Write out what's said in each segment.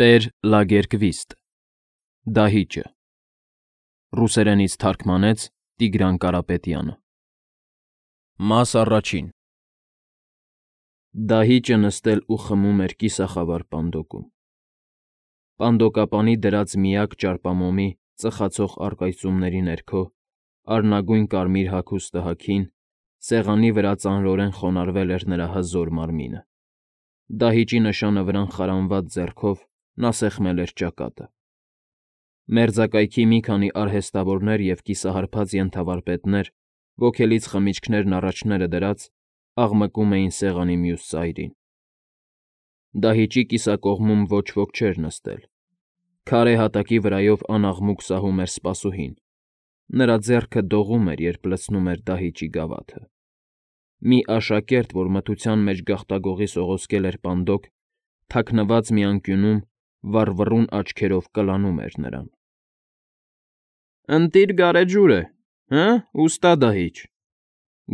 Տեր Լագերկվիստ Դահիճը Ռուսերենից թարգմանեց Տիգրան Կարապետյանը Մաս առաջին Դահիճը նստել ու խմում էր կիսախավար պանդոկում։ Պանդոկապանի դրած միակ ճարպամոմի ծխացող առկայծումների ներքո առնագույն կարմիր հագուստը հագին սեղանի վրա ծանրորեն խոնարհվել էր նրա հզոր մարմինը։ Դահիճի նշանը վրան խարանված ձեռքով նա սեղմել էր ճակատը։ Մերձակայքի մի քանի արհեստավորներ և կիսահարբած ենթավարպետներ, ոգելից խմիչքներն առաջները դրած, աղմկում էին սեղանի մյուս ծայրին։ Դահիճի կիսակողմում ոչ ոք չէր նստել։ Քարե հատակի վրայով անաղմուկ սահում էր սպասուհին։ Նրա ձեռքը դողում էր, երբ լցնում էր դահիճի գավաթը։ Մի աշակերտ, որ մթության մեջ գաղտագողի սողոսկել էր պանդոկ, թաքնված մի անկյունում վառվռուն աչքերով կլանում էր նրան։ «Ընտիր գարեջուրը, հը՞, ուստա Դահիճ,֊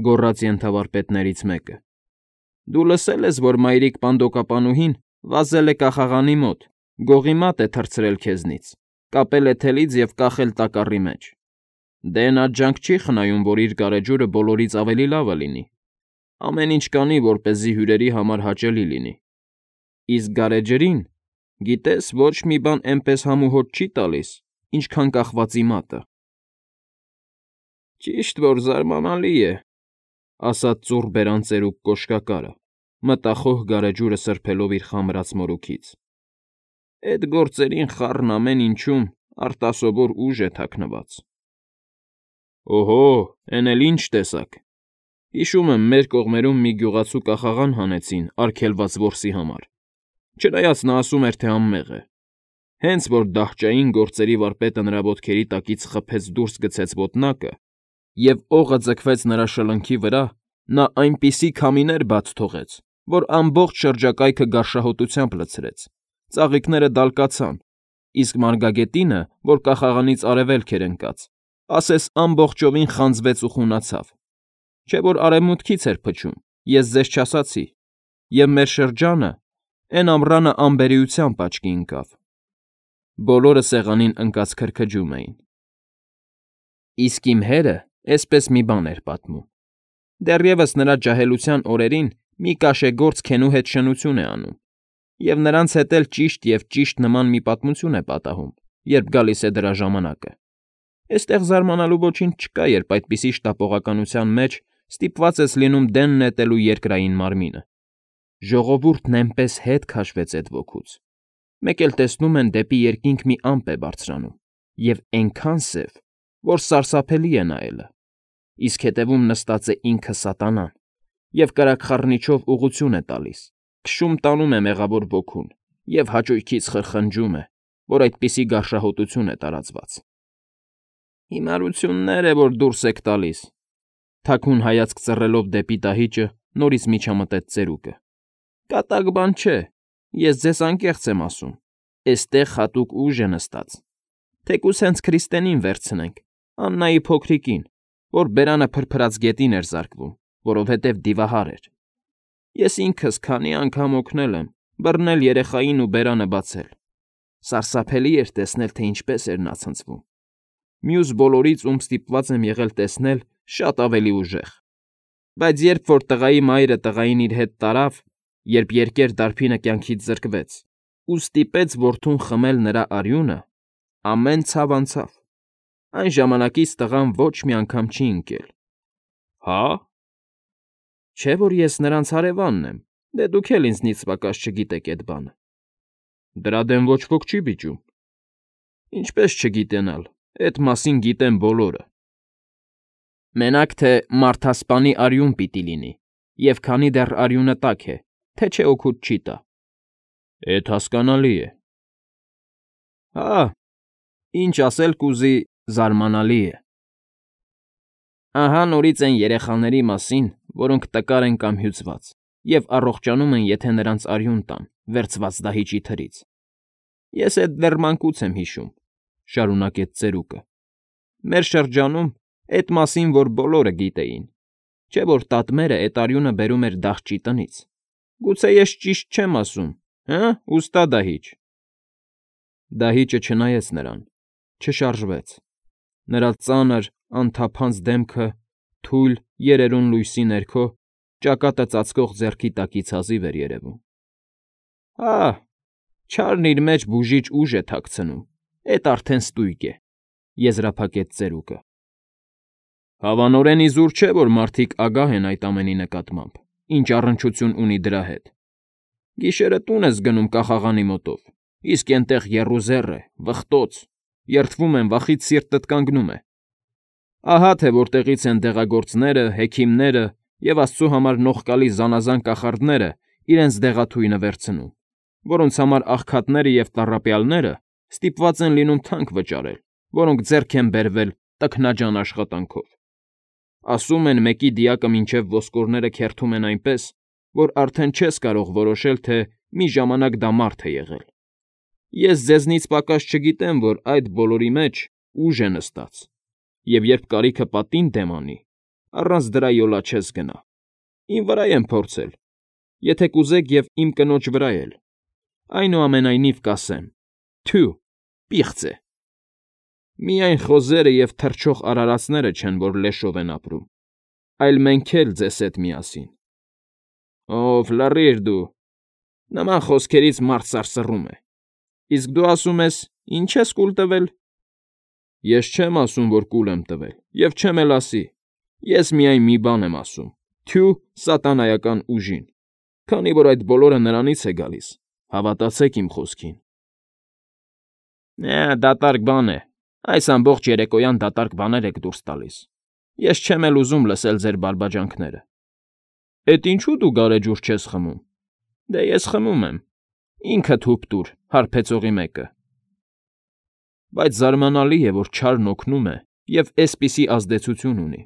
գոռաց ենթավարպետներից մեկը։֊ Դու լսել ես, որ մայրիկ պանդոկապանուհին վազել է կախաղանի մոտ, գողի մատ է թռցրել քեզնից, կապել է թելից և կախել տակառի մեջ։ Դե նա ջանք չի խնայում, որ իր գարեջուրը բոլորից ավելի լավը լինի, ամեն ինչ կանի, որպեսզի հյուրերի համար հաճելի լինի։ Իսկ գարեջրին, գիտես, ոչ մի բան էնպես համ ու հոտ չի տալիս, ինչքան կախվածի մատը»։ «Ճիշտ որ զարմանալի է,֊ ասաց ծուռ բերան ծերուկ կոշկակարը, մտախոհ գարեջուրը սրբելով իր խամրած մորուքից։֊ Էդ գործերին խառն ամեն ինչում արտասովոր ուժ է թաքնված»։ «Օհո, էն էլ ինչ տեսակ։ Հիշում եմ, մեր կողմերում մի գյուղացու կախաղան հանեցին արգելված որսի համար, չնայած նա ասում էր, թե անմեղ է։ Հենց որ դահճային գործերի վարպետը նրա ոտքերի տակից խփեց դուրս գցեց ոտնակը, և օղը ձգվեց նրա շլնքի վրա, նա այնպիսի քամիներ բաց թողեց, որ ամբողջ շրջակայքը գարշահոտությամբ լցրեց, ծաղիկները դալկացան, իսկ մարգագետինը, որ կախաղանից արևելք էր ընկած, ասես ամբողջովին խանձվեց ու խունացավ։ Չէ որ արևմուտքից էր փչում, ես ձեզ չասացի, և մեր շրջանը էն ամռանը անբերիությամբ աչքի ընկավ։ Բոլորը սեղանին ընկած քրքջում էին։ Իսկ իմ հերը էսպես մի բան էր պատմում. դեռևս նրա ջահելության օրերին մի կաշեգործ քենու հետ շնություն է անում, և նրանց հետ էլ ճիշտ և ճիշտ նման մի պատմություն է պատահում, երբ գալիս է դրա ժամանակը։ Էստեղ զարմանալու ոչինչ չկա, երբ այդպիսի շտապողականության մեջ ստիպված ես լինում դեն նետելու երկրային մարմինը։ Ժողովուրդն էնպես հետ քաշվեց էդ ոգուց, մեկ էլ տեսնում են դեպի երկինք մի ամպ է բարձրանում, և էնքան սև, որ սարսափելի է նայելը, իսկ հետևում նստած է ինքը սատանան և կրակխառնիչով ուղղություն է տալիս, քշում տանում է մեղավոր ոգուն և հաճույքից խրխնջում է, որ այդպիսի գարշահոտություն է տարածված։ Հիմարություններ է, որ դուրս եք տալիս,֊ թաքուն հայացք ծռելով դեպի Դահիճը նորից միջամտեց ծերուկը։ Կատակ բան չէ, ես ձեզ անկեղծ եմ ասում, էստեղ հատուկ ուժ է նստած, թեկուզ հենց Քրիստենին վերցնենք, Աննայի փոքրիկին, որ բերանը փրփրած գետին էր զարկվում, որովհետև դիվահար էր։ Ես ինքս քանի անգամ օգնել եմ, բռնել երեխային ու բերանը բացել։ Սարսափելի էր տեսնել, թե ինչպես էր նա ցնցվում։ Մյուս բոլորից, ում ստիպված եմ եղել տեսնել, շատ ավելի ուժեղ։ Բայց երբ որ տղայի մայրը տղային իր հետ տարավ, երբ երկեր դարբինը կյանքից զրկվեց, ու ստիպեց որդուն խմել նրա արյունը, ամեն ցավ անցավ։ Այն ժամանակից տղան ոչ մի անգամ չի ընկել։ Հա՞։ Չէ որ ես նրանց հարևանն եմ, դե դուք էլ ինձնից պակաս չգիտեք էդ բանը։ Դրա դեմ ոչ ոք չի վիճում։ Ինչպես չգիտենալ, էդ մասին գիտեն բոլորը։ Մենակ թե մարդասպանի արյուն պիտի լինի, և քանի դեռ արյունը տաք է, թե չէ օգուտ չի տա։ Էդ հասկանալի է։ Հա, ինչ ասել կուզի, զարմանալի է։ Ահա նորից այն երեխաների մասին, որոնք տկար են կամ հյուծված, և առողջանում են, եթե նրանց արյուն տան, վերցված Դահիճի թրից։ Ես էդ դեռ մանկուց եմ հիշում,֊ շարունակեց ծերուկը։ Մեր շրջանում էդ մասին որ բոլորը գիտեին, չէ որ տատմերը էդ արյունը բերում էր դահճի տնից։ Գուցե ես ճիշտ չեմ ասում, հը՞, ուստա Դահիճ։ Դահիճը չնայեց նրան, չշարժվեց։ Նրա ծանր, անթափանց դեմքը թույլ, երերուն լույսի ներքո ճակատը ծածկող ձեռքի տակից հազիվ էր երևում։ Հա, չարն իր մեջ բուժիչ ուժ է թաքցնում, էդ արդեն ստույգ է, եզրափակեց ծերուկը։ Հավանորեն իզուր չէ, որ մարդիկ ագահ են այդ ամենի նկատմամբ, ինչ առնչություն ունի դրա հետ։ Գիշերը տուն ես գնում կախաղանի մոտով, իսկ ենտեղ եռուզեռ է, վխտոց, երդվում են, վախից սիրտդ կանգնում է։ Ահա թե որտեղից են դեղագործները, հեքիմները և Աստծու համար նողկալի զանազան կախարդները իրենց դեղաթույնը վերցնում, որոնց համար աղքատները և տառապյալները ստիպված են լինում թանկ վճարել, որոնք ձեռք են բերվել տքնաջան աշխատանքով։ Ասում են, մեկի դիակը մինչև ոսկորները քերթում են այնպես, որ արդեն չես կարող որոշել, թե մի ժամանակ դա մարդ է եղել։ Ես ձեզնից պակաս չգիտեմ, որ այդ բոլորի մեջ ուժ է նստած, և երբ կարիքը պատին դեմ անի, առանց դրա յոլա չես գնա։ Իմ վրա եմ փորձել, եթե կուզեք և իմ կնոջ վրա էլ, այնուամենայնիվ կասեմ. թյու, պիղծ է։ Միայն խոզերը և թռչող արարածները չեն, որ լեշով են ապրում, այլ մենք էլ ձեզ հետ միասին։ Ով լռիր դու, նման խոսքերից մարդ սարսռում է։ Իսկ դու ասում ես, ինչ ես կուլ տվել։ Ես չեմ ասում, որ կուլ եմ տվել, և չեմ էլ ասի։ Ես միայն մի բան եմ ասում. թյու սատանայական ուժին, քանի որ այդ բոլորը նրանից է գալիս, հավատացեք իմ խոսքին։ Դատարկ բան է, այս ամբողջ երեկոյան դատարկ բաներ եք դուրս տալիս։ Ես չեմ էլ ուզում լսել ձեր բարբաջանքները։ Էդ ինչու դու գարեջուր չես խմում։ Դե ես խմում եմ, ինքդ հուպ տուր, հարբեցողի մեկը։ Բայց զարմանալի է, որ չարն օգնում է և էսպիսի ազդեցություն ունի։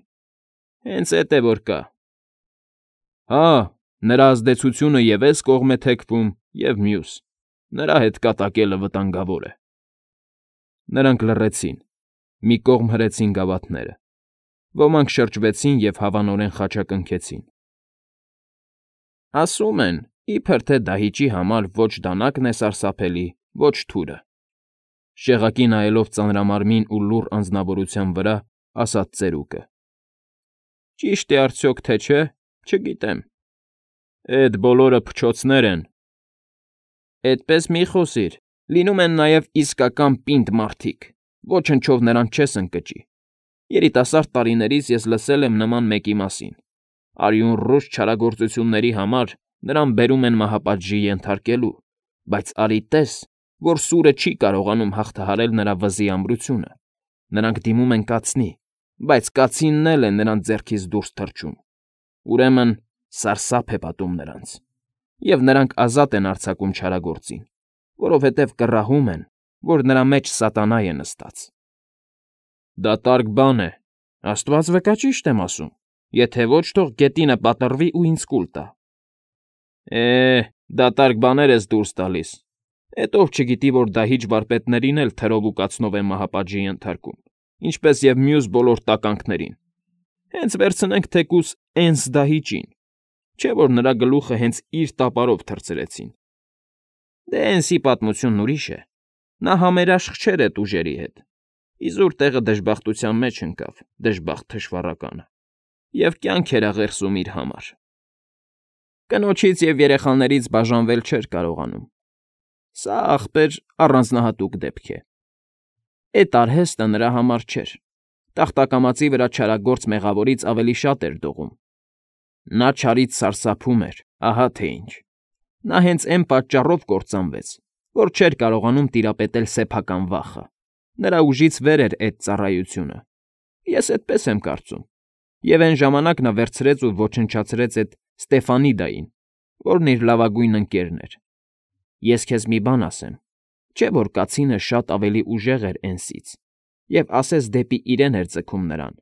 Հենց էդ է որ կա։ Հա, նրա ազդեցությունը և էս կողմ է թեքվում, և մյուս, նրա հետ կատակելը վտանգավոր է։ Նրանք լռեցին, մի կողմ հրեցին գավաթները, ոմանք շրջվեցին և հավանորեն խաչակնքեցին։ Ասում են, իբր թե դահիճի համար ոչ դանակն է սարսափելի, ոչ թուրը։ Շեղակի նայելով ծանրամարմին ու լուռ անձնավորության վրա, ասաց ծերուկը. Ճիշտ է արդյոք, թե չէ, չգիտեմ։ Էդ բոլորը փչոցներ են։ Էդպես մի խոսիր, լինում են նաև իսկական պինդ մարդիկ, ոչնչով նրանց չես ընկճի։ Երիտասարդ տարիներիս ես լսել եմ նման մեկի մասին։ Արյուն ռուս չարագործությունների համար նրան բերում են մահապատժի ենթարկելու, բայց արի տես, որ սուրը չի կարողանում հաղթահարել նրա վզի ամրությունը։ Նրանք դիմում են կացնի, բայց կացինն էլ է նրանց ձեռքից դուրս թռչում։ Ուրեմն սարսափ է պատում նրանց, և նրանք ազատ են արձակում չարագործին, որովհետև կռահում են, որ նրա մեջ սատանա է նստած։ Դատարկ բան է, Աստված վկա ճիշտ եմ ասում, եթե ոչ, թող գետինը պատռվի ու ինձ կուլ տա։ Դատարկ բաներ ես դուրս տալիս։ Էդ ով չգիտի, որ դահիճ վարպետներին էլ թրով ու կացնով են մահապատժի ենթարկում, ինչպես և մյուս բոլոր տականքներին։ Հենց վերցնենք թեկուզ էնս դահիճին, չէ՞ որ նրա գլուխը հենց իր տապարով թռցրեցին։ Դե էնսի պատմությունն ուրիշ է։ Նա համերաշխ չէր էդ ուժերի հետ։ Իզուր տեղը դժբախտության մեջ ընկավ, դժբախտ թշվառականը, և կյանք էր աղերսում իր համար։ Կնոջից և երեխաներից բաժանվել չէր կարողանում։ Սա, ախպեր, առանձնահատուկ դեպք է։ Էդ արհեստը նրա համար չէր։ Տախտակամածի վրա չարագործ մեղավորից ավելի շատ էր դողում։ Նա չարից սարսափում էր, ահա թե ինչ։ Նա հենց էն պատճառով կործանվեց, որ չէր կարողանում տիրապետել սեփական վախը։ Նրա ուժից վեր էր էդ ծառայությունը։ Ես էդպես եմ կարծում։ Եվ այն ժամանակ նա վերցրեց ու ոչնչացրեց էդ Ստեֆանիդային, որն իր լավագույն ընկերն էր։ Ես քեզ մի բան ասեմ, չէ՞ որ կացինը շատ ավելի ուժեղ էր էնսից, և ասես դեպի իրեն էր ձգում նրան,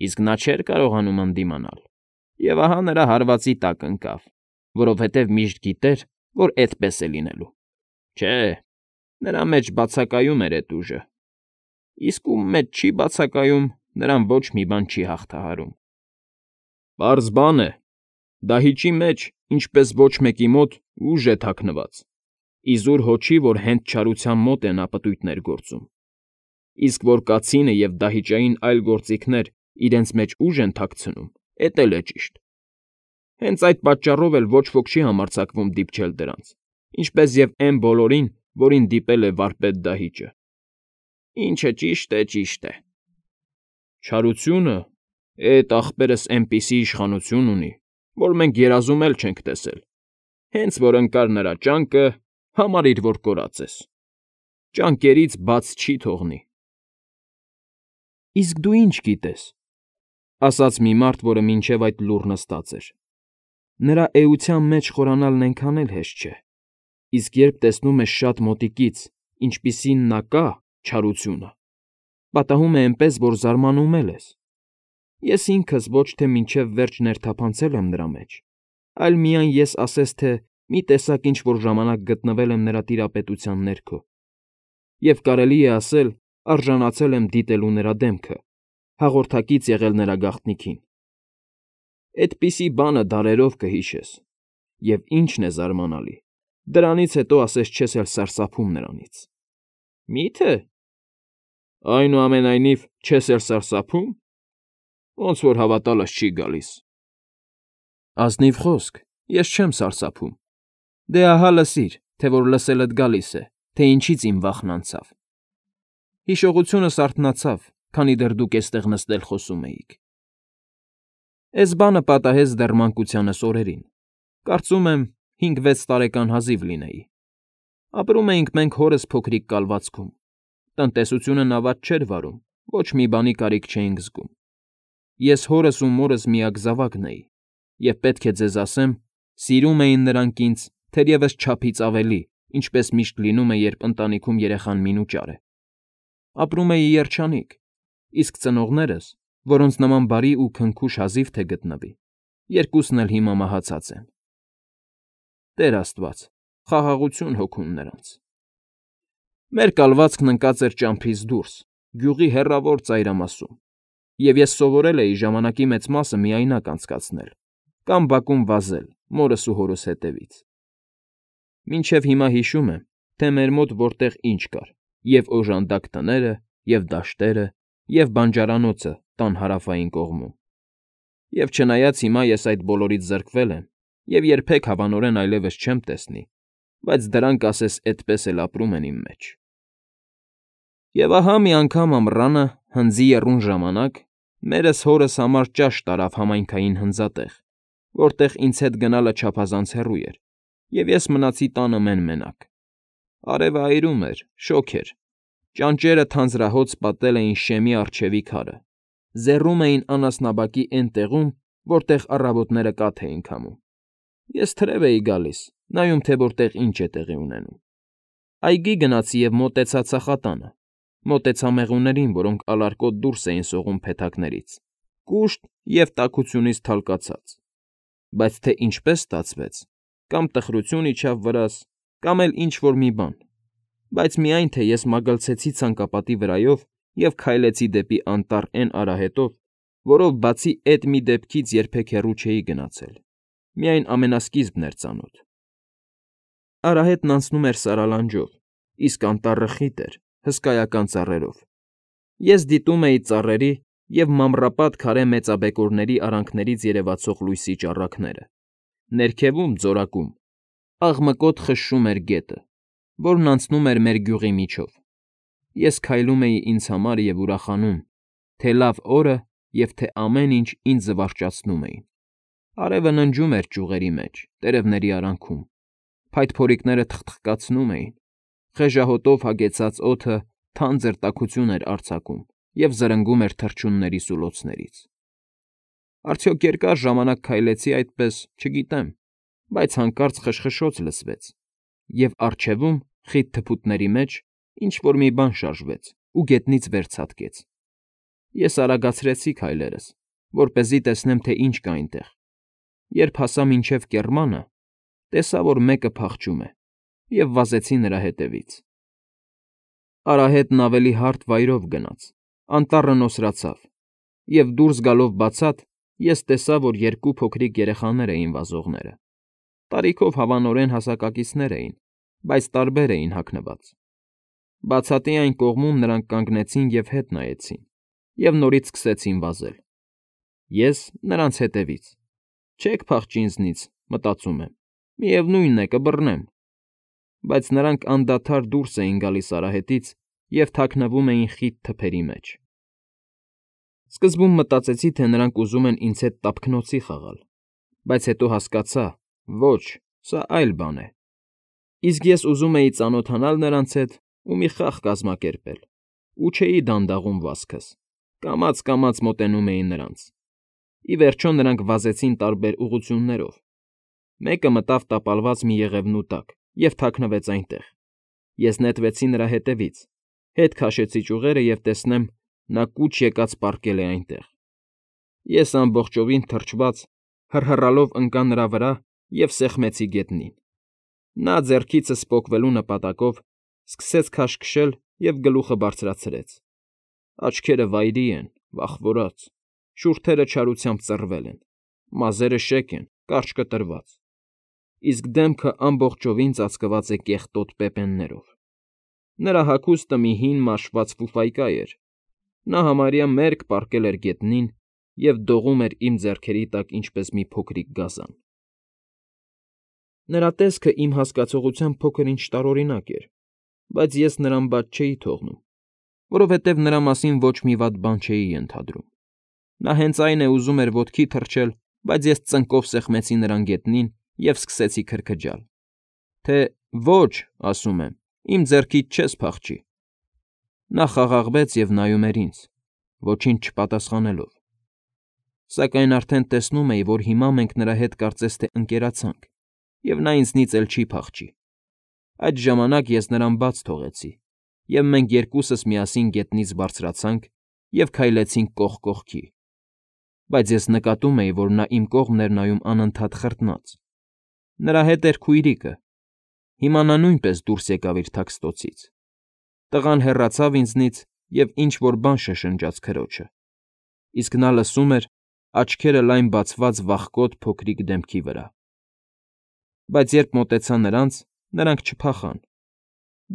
իսկ նա չէր կարողանում ընդդիմանալ, և ահա նրա հարվածի տակ ընկավ, որովհետև միշտ գիտեր, որ էդպես է լինելու։ Չէ, նրա մեջ բացակայում էր էդ ուժը, իսկ ում մեջ չի բացակայում, նրան ոչ մի բան չի հաղթահարում։ Պարզ բան է, դահիճի մեջ, ինչպես ոչ մեկի մոտ, ուժ է թաքնված, Իզուր հոչի, որ հենց չարության մոտ է նա պտույտներ գործում։ Իսկ որ կացինը և դահիճային այլ գործիքներ իրենց մեջ ուժ են թաքցնում, էդ էլ է ճիշտ։ Հենց այդ պատճառով էլ ոչ ոք չի համարձակվում դիպչել դրանց, ինչպես և էն բոլորին, որին դիպել է վարպետ դահիճը։ Ինչը ճիշտ է, ճիշտ է։ Չարությունը, էդ ախպերս էնպիսի իշխանություն ունի, որ մենք երազում էլ չենք տեսել։ Հենց որ ընկար նրա ճանկը, համարիր, որ կորած ես։ Ճանկերից բաց չի թողնի։ Իսկ դու ինչ գիտես, ասաց մի մարդ, որը մինչև այդ լուռ նստած էր։ Նրա էության մեջ խորանալն այնքան էլ հեշտ չէ, իսկ երբ տեսնում ես շատ մոտիկից, ինչպիսին նա կա, չարությունը, պատահում է այնպես, որ զարմանում էլ ես։ Ես ինքս ոչ թե մինչև վերջ ներթափանցել եմ նրա մեջ, այլ միայն ես ասես թե մի տեսակ ինչ-որ ժամանակ գտնվել եմ նրա տիրապետության ներքո, և կարելի է ասել, արժանացել եմ դիտելու նրա դեմքը, հաղորդակից եղել նրա գաղտնիքին։ Էդպիսի բանը դարերով կհիշես, և ինչն է զարմանալի, դրանից հետո ասես չես էլ սարսափում նրանից։ Մի՞թե։ Այնուամենայնիվ, չես էլ սարսափում։ Ոնց որ հավատալս չի գալիս։ Ազնիվ խոսք, ես չեմ սարսափում։ Դե ահա լսիր, թե որ լսելդ գալիս է, թե ինչից իմ վախն անցավ։ Հիշողությունս արթնացավ, քանի դեռ դուք էստեղ նստել խոսում էիք։ Էս բանը պատահեց դեռ մանկությանս օրերին, կարծում եմ 5-6 տարեկան հազիվ լինեի։ Ապրում էինք մենք հորս փոքրիկ կալվածքում։ Տնտեսությունն ավաջ չէր վարում, ոչ մի բանի կարիք չէինք զգում։ Ես հորս ու մորս միակ զավակն էի, և պետք է ձեզ ասեմ, սիրում էին նրանք ինձ, թերևս չափից ավելի, ինչպես միշտ լինում է, երբ ընտանիքում երեխան մինուճար է։ Ապրում էի երջանիկ, իսկ ծնողներս, որոնց նման բարի ու քնքուշ հազիվ թե գտնվի, երկուսն էլ հիմա մահացած են։ Տեր Աստված, խաղաղություն հոգում նրանց։ Մեր կալվածքն ընկած էր ճամփից դուրս, գյուղի հեռավոր ծայրամասում, և ես սովորել էի ժամանակի մեծ մասը միայնակ անցկացնել կամ բակում վազել մորս ու հորս հետևից։ Մինչև հիմա հիշում եմ, թե մեր մոտ որտեղ ինչ կար, և օժանդակ տները, և դաշտերը, և բանջարանոցը տան հարավային կողմում։ Եվ չնայած հիմա ես այդ բոլորից զրկվել եմ և երբեք հավանորեն այլևս չեմ տեսնի, բայց դրանք ասես էդպես էլ ապրում են իմ մեջ։ Եվ ահա մի անգամ ամռանը, հնձի եռուն ժամանակ, մերս հորս համար ճաշ տարավ համայնքային հնձատեղ, որտեղ ինձ հետ գնալը չափազանց հեռու էր, և ես մնացի տանը մեն֊մենակ։ Արևը այրում էր, շոգ էր, ճանճերը թանձրահոծ պատել էին շեմի առջևի քարը, զեռում էին անասնաբակի էն տեղում, որտեղ առավոտները կաթ էին քամում։ Ես թրև էի գալիս, նայում, թե որտեղ ինչ է տեղի ունենում։ Այգի գնացի և մոտեցա ծխատանը, մոտեցա մեղուներին, որոնք ալարկոտ դուրս էին սողում փեթակներից, կուշտ և տաքությունից թալկացած։ Բայց թե ինչպես ստացվեց, կամ տխրություն իջավ վրաս, կամ էլ ինչ֊որ մի բան, բայց միայն թե ես մագլցեցի ցանկապատի վրայով և քայլեցի դեպի անտառ էն արահետով, որով բացի էդ մի դեպքից երբեք հեռու չէի գնացել, միայն ամենասկիզբն էր ծանոթ։ Արահետն անցնում էր սարալանջով, իսկ անտառը խիտ էր, հսկայական ծառերով։ Ես դիտում էի ծառերի և մանրապատ քարե մեծաբեկորների արանքներից երևացող լույսի ճառագները։ Ներքևում, ձորակում, աղմկոտ խշշում էր գետը, որն անցնում էր մեր գյուղի միջով։ Ես քայլում էի ինձ համար և ուրախանում, թե լավ օրը և թե ամեն ինչ ինձ զվարճացնում էին։ Արևը ննջում էր ճյուղերի մեջ, տերևների արանքում, փայտփորիկները թխթխկացնում էին, խեժահոտով հագեցած օդը թանձր տաքություն էր արձակում և զրնգում էր թռչունների սուլոցներից։ Արդյոք երկար ժամանակ քայլեցի այդպես, չգիտեմ, բայց հանկարծ խշխշոց լսվեց, և առջևում, խիտ թփուտների մեջ, ինչ֊որ մի բան շարժվեց ու գետնից վեր ցատկեց։ Ես արագացրեցի քայլերս, որպեսզի տեսնեմ, թե ինչ կա այնտեղ, երբ հասա մինչև կեռմանը, տեսա, որ մեկը փախչում է, և վազեցի նրա հետևից։ Արահետն ավելի հարթ վայրով գնաց, անտառը նոսրացավ, և դուրս գալով բացատ, ես տեսա, որ երկու փոքրիկ երեխաներ էին վազողները։ Տարիքով հավանորեն հասակակիցներ էին, բայց տարբեր էին հագնված։ Բացատի այն կողմում նրանք կանգնեցին և հետ նայեցին, և նորից սկսեցին վազել։ Ես նրանց հետևից։ Չեք փախչի ինձնից, մտածում եմ, միևնույնն է, կբռնեմ։ Բայց նրանք անդադար դուրս էին գալիս արահետից և թաքնվում էին խիտ թփերի մեջ։ Սկզբում մտածեցի, թե նրանք ուզում են ինձ հետ տափկնոցի խաղալ, բայց հետո հասկացա. ոչ, սա այլ բան է։ Իսկ ես ուզում էի ծանոթանալ նրանց հետ ու մի խաղ կազմակերպել, ու չէի դանդաղում վազքս, կամաց֊կամաց մոտենում էի նրանց։ Ի վերջո նրանք վազեցին տարբեր ուղղություններով։ Մեկը մտավ տապալված մի եղևնու տակ և թաքնվեց այնտեղ։ Ես նետվեցի նրա հետևից, հետ քաշեցի ճյուղերը և տեսնեմ, նա կուչ եկած պառկել է այնտեղ։ Ես ամբողջովին թրջված հռհռալով ընկա նրա վրա և սեղմեցի գետնին։ Նա ձեռքիցս պոկվելու նպատակով սկսեց քաշքշել և գլուխը բարձրացրեց։ Աչքերը վայրի են, վախվորած, շուրթերը չարությամբ ծռվել են, մազերը շեք են, կարճ կտրված, իսկ դեմքը ամբողջովին ծածկված է կեղտոտ պեպեններով։ Նրա հագուստը մի հին մաշված ֆուֆայկա էր։ Նա համարյա մերկ պառկել էր գետնին և դողում էր իմ ձեռքերի տակ ինչպես մի փոքրիկ գազան։ Նրա տեսքը իմ հասկացողությամբ փոքր-ինչ տարօրինակ էր, բայց ես նրան բաց չէի թողնում, որովհետև նրա մասին ոչ մի վատ բան չէի ենթադրում։ Նա հենց այն է ուզում էր ոտքի թռչել, բայց ես ծնկով սեղմեցի նրան գետնին և սկսեցի քրքջալ, թե ոչ, ասում եմ, իմ ձեռքից չես փախչի։ Նա խաղաղվեց և նայում էր ինձ, ոչինչ չպատասխանելով։ Սակայն արդեն տեսնում էի, որ հիմա մենք նրա հետ կարծես թե ընկերացանք, և նա ինձնից էլ չի փախչի։ Այդ ժամանակ ես նրան բաց թողեցի, և մենք երկուսս միասին գետնից բարձրացանք և քայլեցինք կողք կողքի։ Բայց ես նկատում էի, որ նա իմ կողմն էր նայում անընդհատ խրտնած։ Նրա հետ էր քույրիկը։ Հիմա նա նույնպես դուրս եկավ իր թաքստոցից։ Տղան հեռացավ ինձնից և ինչ֊որ բան շշնջաց քրոջը, իսկ նա լսում էր, աչքերը լայն բացված վախկոտ փոքրիկ դեմքի վրա։ Բայց երբ մոտեցա նրանց, նրանք չփախան։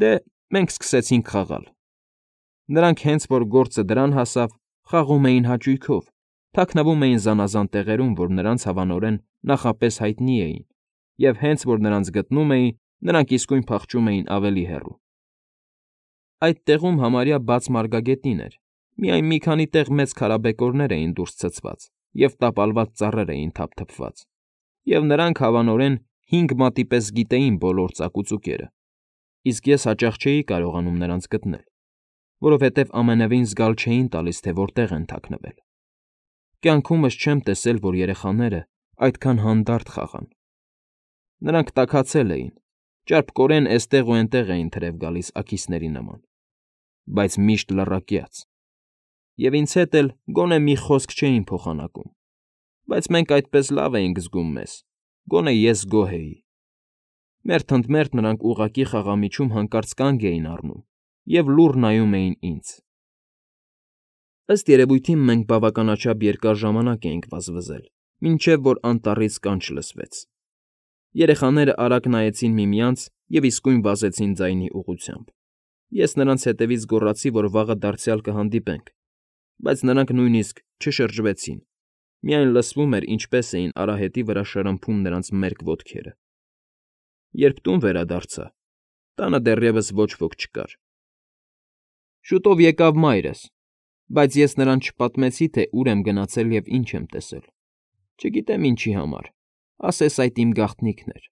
Դե, մենք սկսեցինք խաղալ։ Նրանք հենց որ գործը դրան հասավ, խաղում էին հաճույքով, թաքնվում էին զանազան տեղերում, որ նրանց հավանորեն նախապես հայտնի էին, և հենց որ նրանց գտնում էի, նրանք իսկույն փախչում էին ավելի հեռու։ Այդ տեղում համարյա բաց մարգագետին էր, միայն մի քանի տեղ մեծ քարաբեկորներ էին դուրս ցցված և տապալված ծառեր էին թափթփված, և նրանք հավանորեն 5 մատի պես գիտեին բոլոր ծակուծուկերը, իսկ ես հաճախ չէի կարողանում նրանց գտնել, որովհետև ամենևին զգալ չէին տալիս, թե որտեղ են թաքնվել։ Կյանքումս չեմ տեսել, որ երեխաները այդքան հանդարտ խաղան։ Նրանք տաքացել էին, ճարպկորեն էստեղ ու էնտեղ էին թրև գալիս աքիսների նման, բայց միշտ լռակյաց։ Եվ ինձ հետ էլ գոնե մի խոսք չէին փոխանակում, բայց մենք այդպես լավ էինք զգում մեզ, գոնե ես գոհ էի։ Մերթ ընդ մերթ նրանք ուղղակի խաղամիջում հանկարծ կանգ էին առնում և լուռ նայում էին ինձ։ Ըստ երևույթին մենք բավականաչափ երկար ժամանակ էինք վազվզել, մինչև որ անտառից կանչ լսվեց։ Երեխաները արագ նայեցին միմյանց և իսկույն վազեցին ձայնի ուղղությամբ։ Ես նրանց հետևից գոռացի, որ վաղը դարձյալ կհանդիպենք, բայց նրանք նույնիսկ չշրջվեցին, միայն լսվում էր, ինչպես էին արահետի վրա շրմփում նրանց մերկ ոտքերը։ Երբ տուն վերադարձա, տանը դեռևս ոչ ոք չկար։ Շուտով եկավ մայրս, բայց ես նրան չպատմեցի, թե ուր եմ գնացել և ինչ եմ տեսել։ Չգիտեմ ինչի համար, ասես այդ իմ գաղտնիքն էր։